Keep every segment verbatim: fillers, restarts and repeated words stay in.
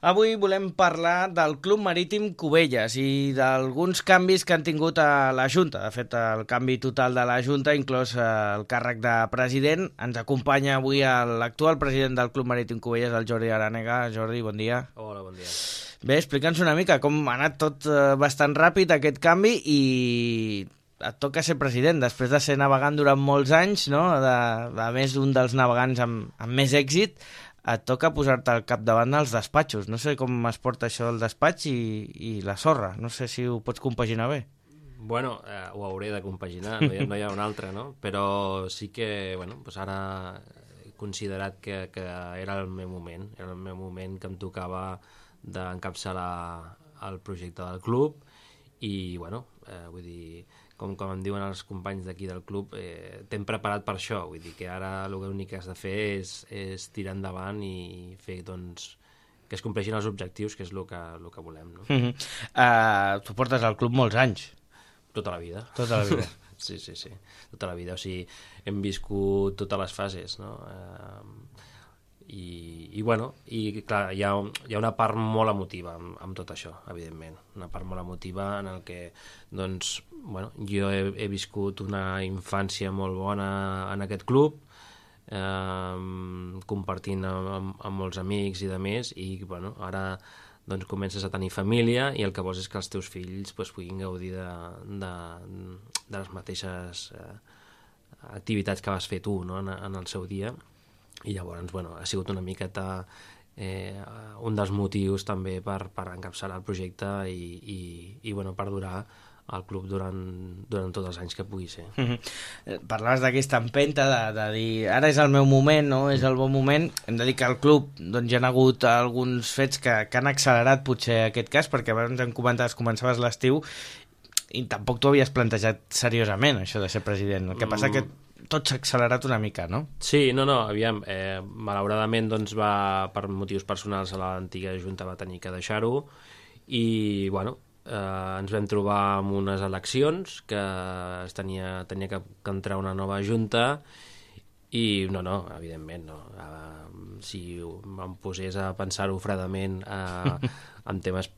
Avui volem parlar del Club Marítim Cubelles i d'alguns canvis que han tingut a la Junta. De fet, el canvi total de la Junta, inclòs el càrrec de president. Ens acompanya avui l'actual president del Club Marítim Cubelles, el Jordi Arànega. Jordi, bon dia. Hola, bon dia. Bé, explica'ns una mica com ha anat tot bastant ràpid aquest canvi i et toca ser president, després de ser navegant durant molts anys, no? de, de més d'un dels navegants amb, amb més èxit, et toca posar-te al capdavant dels despatxos. No sé com es porta això del despatx i, i la sorra. No sé si ho pots compaginar bé. Bueno, eh, ho hauré de compaginar, no hi ha, no hi ha un altre, no? Però sí que, bueno, doncs ara he considerat que, que era el meu moment, era el meu moment que em tocava d'encapçalar el projecte del club i, bueno, eh, vull dir, com, com em diuen els companys d'aquí del club, eh, t'hem preparat per això, vull dir que ara l'únic que has de fer és, és tirar endavant i fer, doncs, que es compleixin els objectius, que és el que, el que volem, no? Mm -hmm. uh, tu portes al club molts anys. Tota la vida. Tota la vida. Sí, sí, sí, tota la vida, o sigui, hem viscut totes les fases, no? Eh, i, i bueno, i clar, hi ha, hi ha una part molt emotiva amb, amb tot això, evidentment, una part molt emotiva en el que, doncs, bueno, jo he, he viscut una infància molt bona en aquest club, eh, compartint amb, amb, amb molts amics i de més, i bueno, ara doncs comences a tenir família i el que vols és que els teus fills pues, puguin gaudir de, de, de les mateixes eh, activitats que vas fer tu, no? en, en el seu dia. I llavors, bueno, ha sigut una miqueta eh, un dels motius també per, per encapçalar el projecte i, i, i bueno, per durar al club durant, durant tots els anys que pugui ser. Mm-hmm. Parlaves d'aquesta empenta de, de dir, ara és el meu moment, no? És el bon moment. Hem de dir que al club doncs, hi ha hagut alguns fets que, que han accelerat potser aquest cas, perquè abans em comentaves, començaves l'estiu i tampoc t'ho havies plantejat seriosament, això de ser president. El que passa que tot s'ha accelerat una mica, no? Sí, no, no, aviam, eh, malauradament doncs va, per motius personals a l'antiga Junta va tenir que deixar-ho i, bueno, eh, ens vam trobar amb unes eleccions que es tenia, tenia que, que entrar una nova Junta i, no, no, evidentment, no. Eh, si em posés a pensar-ho fredament eh, en temes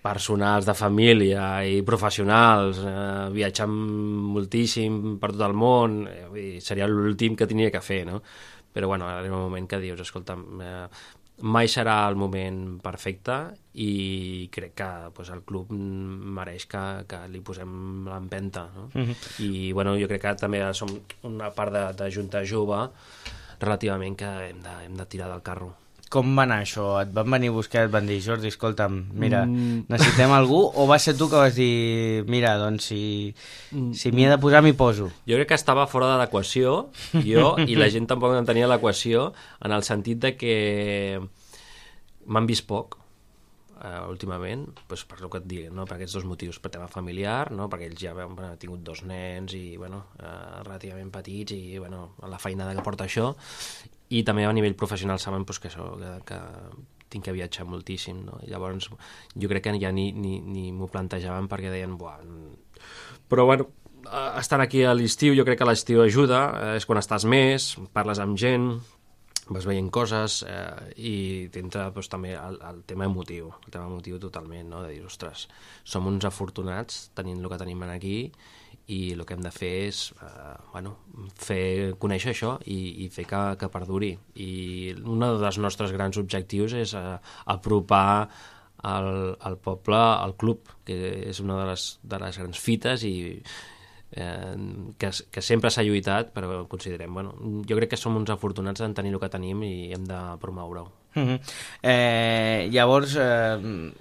personals, de família i professionals, eh, viatjant moltíssim per tot el món, eh, seria l'últim que tenia que fer, no? Però, bueno, arriba un moment que dius, escolta, eh, mai serà el moment perfecte i crec que pues, el club mereix que, que li posem l'empenta, no? Mm-hmm. I, bueno, jo crec que també som una part de, de junta jove relativament que hem de, hem de tirar del carro. Com va anar això? Et van venir a buscar, et van dir, Jordi, escolta'm, mira, mm. necessitem algú? O va ser tu que vas dir, mira, doncs, si, si m'hi he de posar, m'hi poso? Jo crec que estava fora de l'equació, jo, i la gent tampoc entenia l'equació, en el sentit de que m'han vist poc, eh, últimament, doncs per el que et dic, no? Per aquests dos motius, per tema familiar, no? Perquè ells ja han tingut dos nens i, bueno, eh, relativament petits i, bueno, la feinada que porta això, i també a nivell professional saben pues, que, això, que, que tinc que viatjar moltíssim, no? I llavors jo crec que ja ni, ni, ni m'ho plantejaven perquè deien, buah... Però bueno, estant aquí a l'estiu, jo crec que l'estiu ajuda, eh, és quan estàs més, parles amb gent, vas veient coses eh, i t'entra pues, també el, el tema emotiu, el tema emotiu totalment, no? De dir, ostres, som uns afortunats tenint el que tenim aquí i el que hem de fer és eh, bueno, fer conèixer això i, i fer que, que perduri. I un dels nostres grans objectius és eh, apropar el, el poble al club, que és una de les, de les grans fites i eh, que, que sempre s'ha lluitat, però considerem, bueno, jo crec que som uns afortunats en tenir el que tenim i hem de promoure-ho. Uh-huh. eh, llavors eh,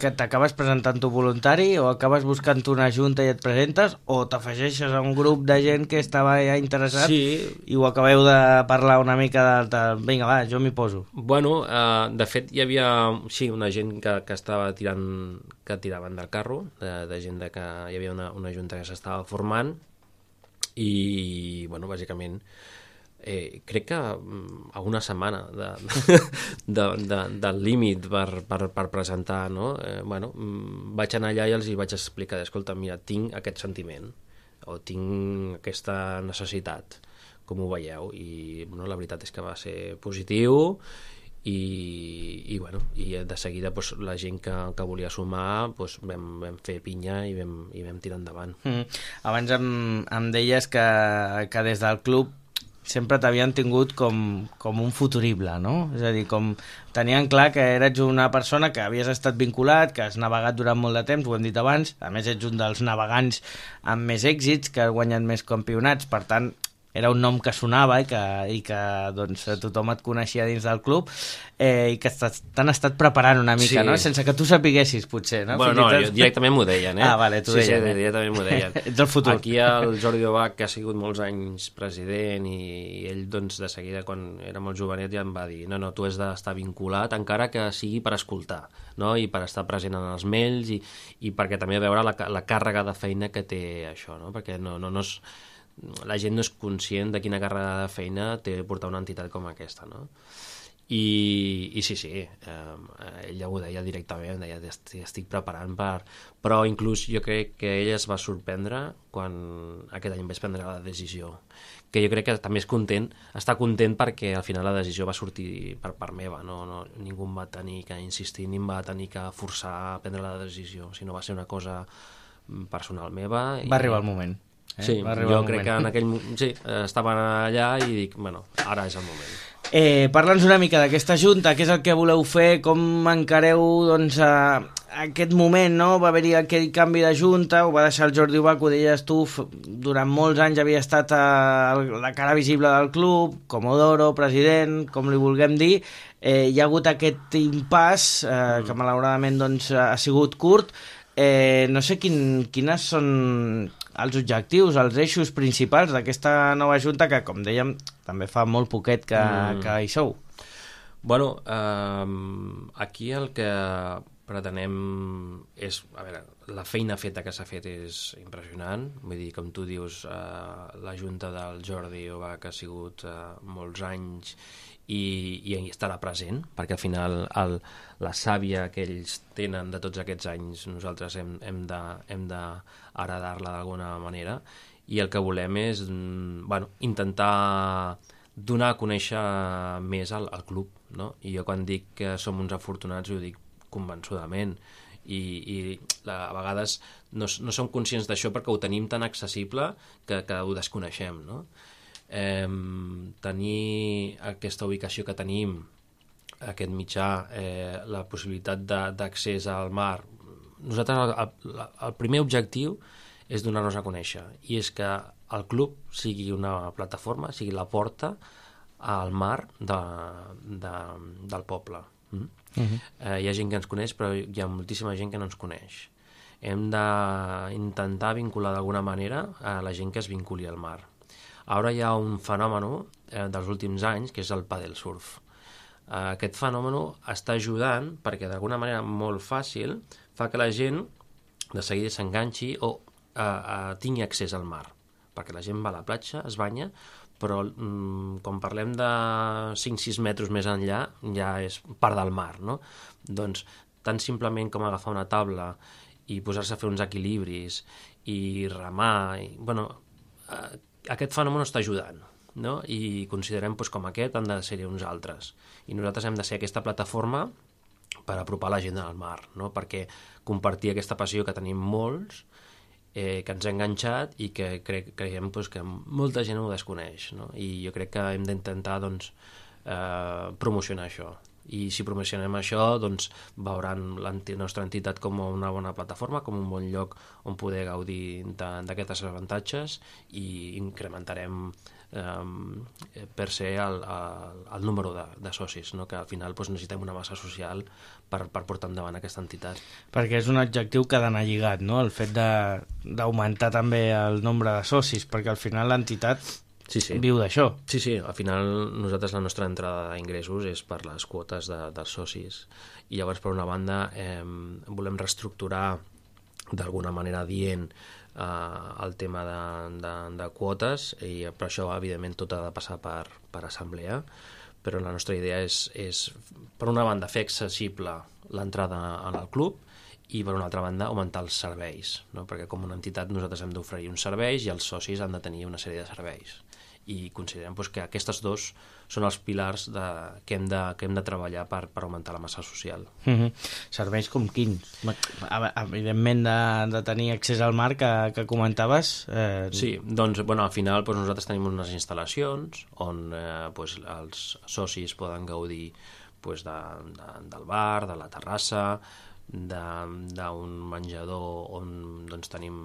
que t'acabes presentant tu voluntari o acabes buscant una junta i et presentes o t'afegeixes a un grup de gent que estava ja interessat sí. I ho acabeu de parlar una mica de, de vinga va, jo m'hi poso? Bueno, eh, de fet hi havia sí, una gent que, que estava tirant que tiraven del carro, de, de gent de que hi havia una, una junta que s'estava formant i bueno, bàsicament Eh, crec que a una setmana de, de, de, del límit per, per, per presentar, no? Eh, bueno, vaig anar allà i els hi vaig explicar, escolta, mira, tinc aquest sentiment o tinc aquesta necessitat, com ho veieu? I bueno, la veritat és que va ser positiu i, i, bueno, i de seguida doncs, la gent que, que volia sumar doncs, vam, vam fer pinya i vam, i vam tirar endavant. Mm. Abans em, em deies que, que des del club sempre t'havien tingut com, com un futurible, no? És a dir, com tenien clar que eres una persona que havies estat vinculat, que has navegat durant molt de temps, ho hem dit abans, a més ets un dels navegants amb més èxits, que has guanyat més campionats, per tant, era un nom que sonava i que, i que doncs, tothom et coneixia dins del club, eh, i que t'han estat preparant una mica, sí. no? Sense que tu sapiguessis, potser, no? Bueno, no, tot... directament m'ho deien, eh? Ah, vale, t'ho sí, deien. Sí, eh? directament m'ho deien. Ets el futur. Aquí el Jordi Obac, que ha sigut molts anys president, i, i ell, doncs, de seguida, quan era molt jovenet, ja em va dir, no, no, tu has d'estar vinculat, encara que sigui per escoltar, no? I per estar present en els mails, i, i perquè també veure la, la càrrega de feina que té això, no? Perquè no, no, no és... la gent no és conscient de quina càrrega de feina té portar una entitat com aquesta, no? I, i sí, sí, eh, ell ja ho deia directament, deia, estic, estic preparant per... Però inclús jo crec que ell es va sorprendre quan aquest any vaig prendre la decisió, que jo crec que també és content, està content perquè al final la decisió va sortir per part meva, no, no, ningú em va tenir que insistir, ni em va tenir que forçar a prendre la decisió, sinó va ser una cosa personal meva. Va i... arribar el moment. Eh? Sí, jo crec que en aquell moment sí, estaven allà i dic, bueno, ara és el moment. Eh, Parla'ns una mica d'aquesta junta, què és el que voleu fer, com encareu doncs, a, a aquest moment, no? Va haver-hi aquell canvi de junta, ho va deixar el Jordi Obac, ho deies tu, durant molts anys havia estat a, a la cara visible del club, Comodoro, president, com li vulguem dir, eh, hi ha hagut aquest impàs, eh, mm. que malauradament doncs, ha sigut curt, eh, no sé quin, quines són els objectius, els eixos principals d'aquesta nova junta que, com dèiem, també fa molt poquet que, mm. que hi sou. Bueno, eh, aquí el que pretenem és, a veure, la feina feta que s'ha fet és impressionant, vull dir, com tu dius, eh, la junta del Jordi Obac ha sigut eh, molts anys i, i estarà present, perquè al final el, la sàvia que ells tenen de tots aquests anys nosaltres hem, hem de, hem de heredar-la d'alguna manera, i el que volem és bueno, intentar donar a conèixer més al, al club, no? I jo quan dic que som uns afortunats ho dic convençudament, i, i a vegades no, no som conscients d'això perquè ho tenim tan accessible que, que ho desconeixem, no? Eh, tenir aquesta ubicació que tenim, aquest mitjà, eh, la possibilitat d'accés al mar, nosaltres el, el, el primer objectiu és donar-nos a conèixer, i és que el club sigui una plataforma, sigui la porta al mar de, de, del poble. Mm? Uh-huh. eh, hi ha gent que ens coneix, però hi ha moltíssima gent que no ens coneix. Hem d'intentar vincular d'alguna manera a la gent que es vinculi al mar. Ara hi ha un fenomen eh, dels últims anys, que és el paddle surf. Eh, aquest fenomen està ajudant perquè d'alguna manera molt fàcil fa que la gent de seguida s'enganxi o eh, eh, tingui accés al mar, perquè la gent va a la platja, es banya, però mm, quan parlem de cinc sis metres més enllà ja és part del mar, no? Doncs tan simplement com agafar una taula i posar-se a fer uns equilibris i remar, i, bueno, eh, aquest fenomen està ajudant, no? I considerem doncs, com aquest han de ser uns altres, i nosaltres hem de ser aquesta plataforma per apropar la gent al mar, no? Perquè compartir aquesta passió que tenim molts, eh, que ens ha enganxat i que crec, creiem doncs, que molta gent ho desconeix, no? I jo crec que hem d'intentar doncs, eh, promocionar això. I si promocionem això, doncs veuran la nostra entitat com una bona plataforma, com un bon lloc on poder gaudir d'aquests avantatges, i incrementarem eh, per ser el, el, el número de, de socis, no? Que al final doncs, necessitem una massa social per, per portar endavant aquesta entitat. Perquè és un objectiu que ha d'anar lligat, no? El fet d'augmentar també el nombre de socis, perquè al final l'entitat sí, sí. viu d'això. Sí, sí, al final nosaltres la nostra entrada d'ingressos és per les quotes de, dels socis, i llavors per una banda eh, volem reestructurar d'alguna manera dient eh, el tema de, de, de quotes, i per això evidentment tot ha de passar per, per assemblea, però la nostra idea és, és per una banda fer accessible l'entrada en el club, i per una altra banda augmentar els serveis, no? Perquè com una entitat nosaltres hem d'oferir uns serveis i els socis han de tenir una sèrie de serveis, i considerem doncs, que aquests dos són els pilars de, que, hem de, que hem de treballar per, per augmentar la massa social. Mm-hmm. Serveis com quins? Evidentment de, de tenir accés al mar que, que comentaves. Eh... Sí, doncs bueno, al final doncs, nosaltres tenim unes instal·lacions on eh, doncs, els socis poden gaudir doncs, de, de, del bar, de la terrassa, d'un menjador on doncs, tenim,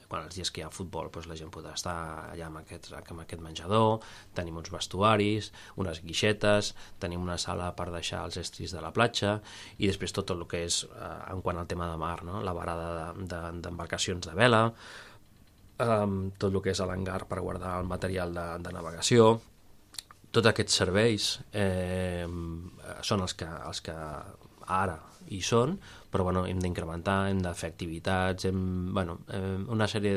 quan els dies que hi ha futbol doncs, la gent podrà estar allà amb aquest, amb aquest menjador, tenim uns vestuaris, unes guixetes, tenim una sala per deixar els estris de la platja i després tot el que és eh, en quant al tema de mar, no? La varada d'embarcacions de, de, de vela, eh, tot el que és l'hangar per guardar el material de, de navegació. Tots aquests serveis eh, són els que, els que ara hi són, però bueno, hem d'incrementar, hem de fer activitats, hem, bueno, eh, una sèrie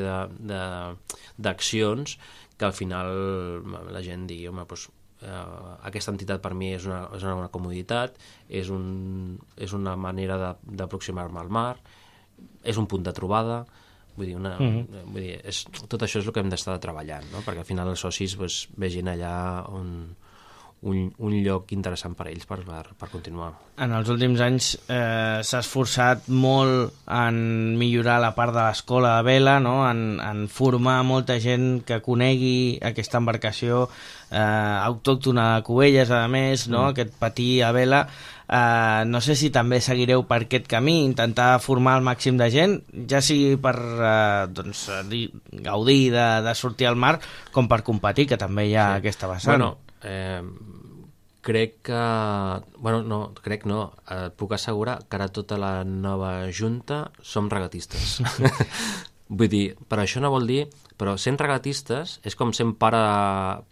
d'accions que al final la gent digui, home, doncs, eh, aquesta entitat per mi és una, és una, una comoditat, és, un, és una manera d'aproximar-me al mar, és un punt de trobada, vull dir, una, mm-hmm. vull dir és, tot això és el que hem d'estar treballant, no? Perquè al final els socis pues, vegin allà on... Un, un lloc interessant per a ells per, per, per continuar. En els últims anys eh, s'ha esforçat molt en millorar la part de l'escola de vela, no? en, en formar molta gent que conegui aquesta embarcació eh, autòctona de Cubelles, a més, no? Mm. Aquest patí a vela. Eh, no sé si també seguireu per aquest camí, intentar formar el màxim de gent, ja sigui per eh, doncs, gaudir de, de sortir al mar, com per competir, que també hi ha sí. aquesta vessant. Bueno, Eh, crec que bueno, no, crec no et puc assegurar que ara tota la nova junta som regatistes. Vull dir, però això no vol dir, però sent regatistes és com sent pare,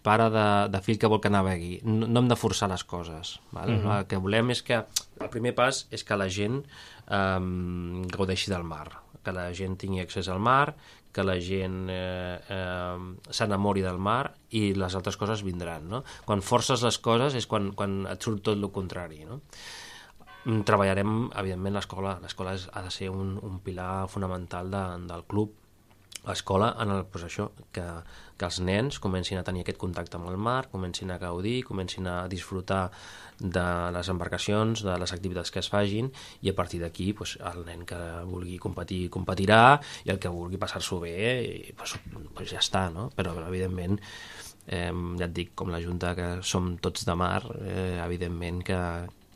pare de, de fill que vol que navegui, no, no hem de forçar les coses, val? Mm-hmm. El que volem és que el primer pas és que la gent eh, gaudeixi del mar, que la gent tingui accés al mar, que la gent eh, eh, s'enamori del mar i les altres coses vindran, no? Quan forces les coses és quan, quan et surt tot el contrari, no? Treballarem, evidentment, l'escola. L'escola ha de ser un, un pilar fonamental de, del club. L'escola, en el, doncs això, que, que els nens comencin a tenir aquest contacte amb el mar, comencin a gaudir, comencin a disfrutar de les embarcacions, de les activitats que es fagin, i a partir d'aquí doncs, el nen que vulgui competir, competirà, i el que vulgui passar-s'ho bé, doncs, doncs ja està, no? Però, evidentment, eh, ja et dic, com la Junta que som tots de mar, eh, evidentment que,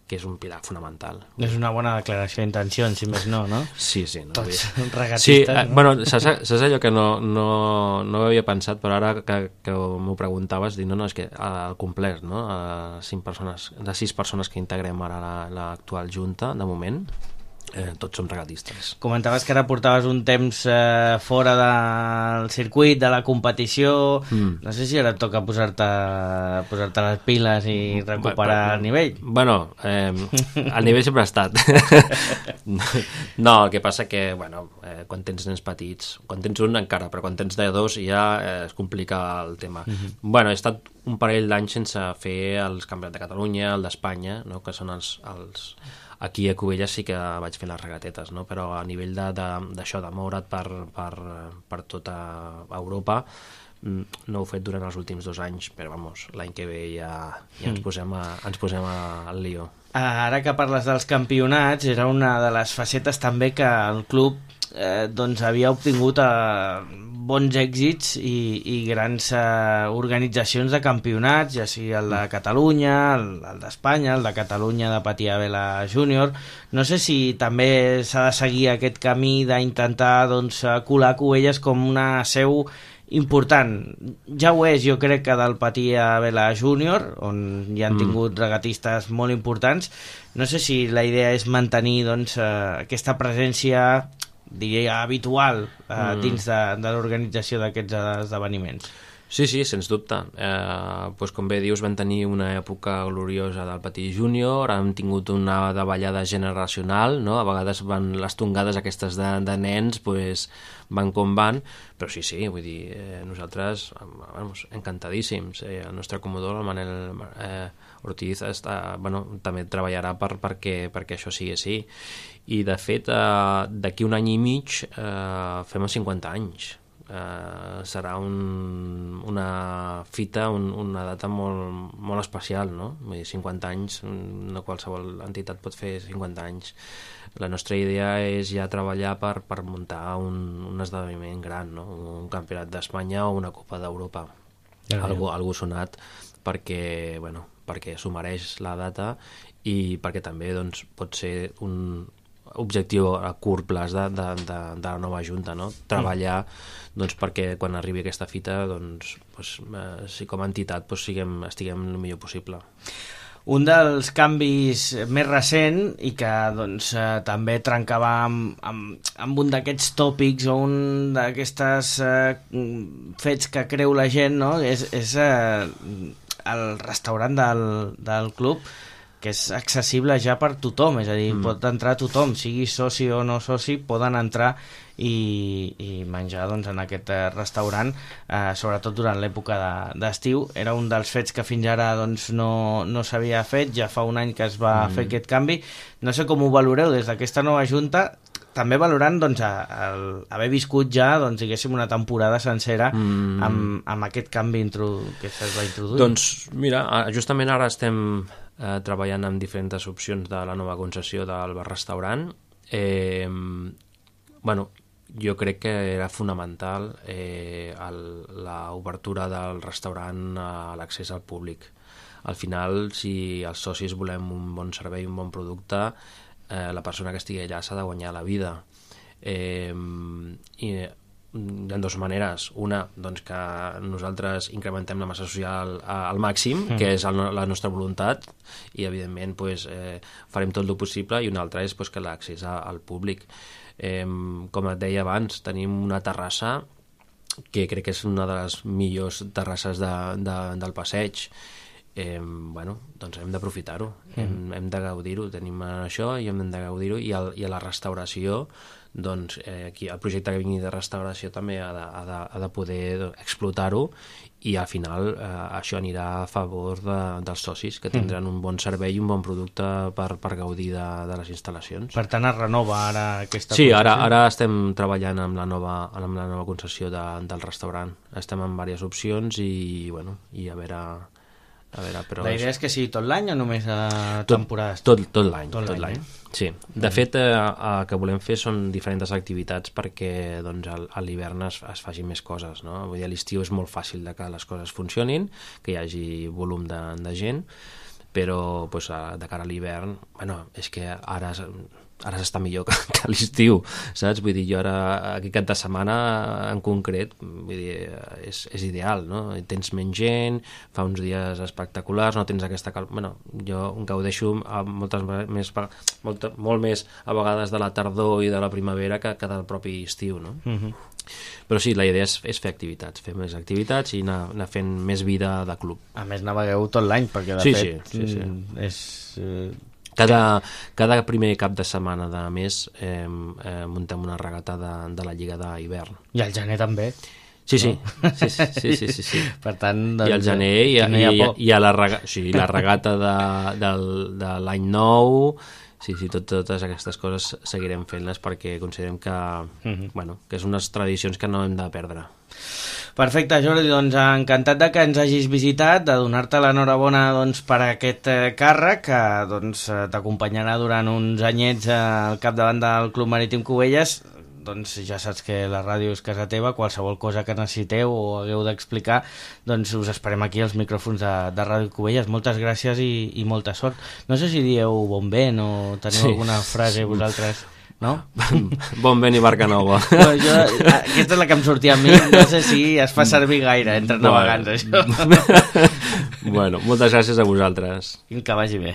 que és un pilar fonamental. És una bona declaració d'intencions, si més no, no? Sí, sí. No? Tots regatistes. Sí, no? bueno, saps, saps allò que no, no, no ho havia pensat, però ara que, que m'ho preguntaves, dic, no, no, és que al complet, no? A cinc persones, de sis persones que integrem ara l'actual Junta, de moment, eh, tots som regatistes. Comentaves que ara portaves un temps eh, fora del circuit, de la competició, mm. no sé si ara et toca posar-te posar-te les piles i recuperar bueno, el nivell. Bueno, eh, el nivell sempre ha estat. No, el que passa que, bueno, eh, quan tens nens petits, quan tens un encara, però quan tens de dos ja eh, es complica el tema. Mm-hmm. Bueno, he estat un parell d'anys sense fer els campionats de Catalunya, el d'Espanya, no? Que són els... els aquí a Cubelles sí que vaig fer les regatetes, no? Però a nivell d'això, de, de, de moure't per, per, per tota Europa, no ho he fet durant els últims dos anys, però vamos, l'any que ve ja, ja ens posem, a, ens posem a, al lío. Ara que parles dels campionats, era una de les facetes també que el club eh, doncs havia obtingut eh, bons èxits i, i grans eh, organitzacions de campionats, ja sigui el de Catalunya, el, el d'Espanya, el de Catalunya de Patí a Vela Júnior. No sé si també s'ha de seguir aquest camí d'intentar doncs, colar Cubelles com una seu important. Ja ho és, jo crec, que del Patí a Vela Júnior, on hi han tingut regatistes molt importants. No sé si la idea és mantenir doncs, eh, aquesta presència, diria, habitual eh, mm. dins de, de l'organització d'aquests esdeveniments. Sí, sí, sens dubte. Eh, doncs com bé dius, vam tenir una època gloriosa del Patí Júnior, hem tingut una davallada generacional, no? A vegades van les tongades aquestes de, de nens, pues, van com van, però sí, sí, vull dir, eh, nosaltres, vamos, encantadíssims. Eh, el nostre comodor, el Manel eh, Ortiz, està, bueno, també treballarà per, perquè, perquè això sigui així. I, de fet, eh, d'aquí un any i mig eh, fem els cinquanta anys. eh, serà un, una fita, un, una data molt, molt especial, no? Vull dir, cinquanta anys, no qualsevol entitat pot fer cinquanta anys. La nostra idea és ja treballar per, per muntar un, un esdeveniment gran, no? Un campionat d'Espanya o una Copa d'Europa. Ja, algú, algú sonat perquè, bueno, perquè s'ho mereix la data i perquè també doncs, pot ser un objectiu a curt plaç de, de, de, de la nova Junta, no? Treballar doncs, perquè quan arribi aquesta fita doncs, doncs, eh, si com a entitat doncs, siguem, estiguem el millor possible. Un dels canvis més recent i que doncs, eh, també trencava amb, amb, amb un d'aquests tòpics o un d'aquestes eh, fets que creu la gent, no? és, és eh, el restaurant del, del club, que és accessible ja per tothom, és a dir, mm. pot entrar tothom, sigui soci o no soci, poden entrar i, i menjar doncs, en aquest restaurant, eh, sobretot durant l'època d'estiu. Era un dels fets que fins ara doncs, no, no s'havia fet, ja fa un any que es va mm. fer aquest canvi. No sé com ho valoreu des d'aquesta nova Junta, també valorant doncs, el, haver viscut ja doncs, diguéssim, una temporada sencera mm. amb, amb aquest canvi intro, que es va introduir. Doncs mira, justament ara estem eh, treballant amb diferents opcions de la nova concessió del bar-restaurant. Eh, bueno, jo crec que era fonamental eh, l'obertura del restaurant a l'accés al públic. Al final, si els socis volem un bon servei, un bon producte, eh, la persona que estigui allà s'ha de guanyar la vida. Eh, i hi ha dues maneres. Una, doncs que nosaltres incrementem la massa social al màxim, mm. que és el, la nostra voluntat, i evidentment pues, eh, farem tot el possible, i una altra és pues, que l'accés al públic. Eh, com et deia abans, tenim una terrassa que crec que és una de les millors terrasses de, de, del passeig. Eh, bueno, doncs hem d'aprofitar-ho, mm. hem, hem de gaudir-ho, tenim això i hem de gaudir-ho, i, el, i a la restauració doncs eh, aquí el projecte que vingui de restauració també ha de, ha de, ha de poder explotar-ho, i al final eh, això anirà a favor de, dels socis, que tindran mm. un bon servei i un bon producte per, per gaudir de, de les instal·lacions. Per tant, es renova ara aquesta sí, concessió? ara, ara estem treballant amb la nova, amb la nova concessió de, del restaurant. Estem en diverses opcions i, bueno, i a veure... A veure, però la idea és que sigui tot l'any o només a tot, temporades? Tot, tot l'any. Tot tot l'any, eh? Sí. De fet, eh, el que volem fer són diferents activitats perquè doncs, a l'hivern es, es facin més coses. No? Vull dir, a l'estiu és molt fàcil de que les coses funcionin, que hi hagi volum de, de gent, però pues, de cara a l'hivern, bueno, és que ara... ara s'està millor que, que a l'estiu, saps? Vull dir, jo ara, aquest cap de setmana en concret, vull dir, és, és ideal, no? Tens menys gent, fa uns dies espectaculars, no tens aquesta calma... Bueno, jo em gaudeixo moltes més, molt, molt més a vegades de la tardor i de la primavera que, que del propi estiu, no? Uh-huh. Però sí, la idea és, és fer activitats, fer més activitats i anar, anar fent més vida de club. A més, navegueu tot l'any, perquè de sí, fet sí, sí, sí. és... Eh... Cada, cada primer cap de setmana de mes eh, eh, muntem una regata de, de la Lliga d'hivern. I al gener també. Sí, sí. No? sí, sí, sí, sí, sí. Per tant, doncs, i al gener i, no hi ha, i, i a la, rega, sí, la regata de, del, de l'any nou, sí, sí, tot, totes aquestes coses seguirem fent-les perquè considerem que, uh-huh. bueno, que és unes tradicions que no hem de perdre. Perfecte, Jordi, doncs encantat de que ens hagis visitat, de donar-te l'enhorabona doncs, per aquest eh, càrrec que doncs, t'acompanyarà durant uns anyets eh, al capdavant del Club Marítim Cubelles. Doncs ja saps que la ràdio és casa teva, qualsevol cosa que necessiteu o hagueu d'explicar, doncs us esperem aquí als micròfons de, de Ràdio Cubelles. Moltes gràcies i, i molta sort. No sé si dieu bon vent o teniu sí. alguna frase vosaltres... No? Bon vent i barca nova. No, jo, aquesta és la que em sortia a mi, no sé si es fa servir gaire entre navegants, això. Bueno, moltes gràcies a vosaltres. Que vagi bé.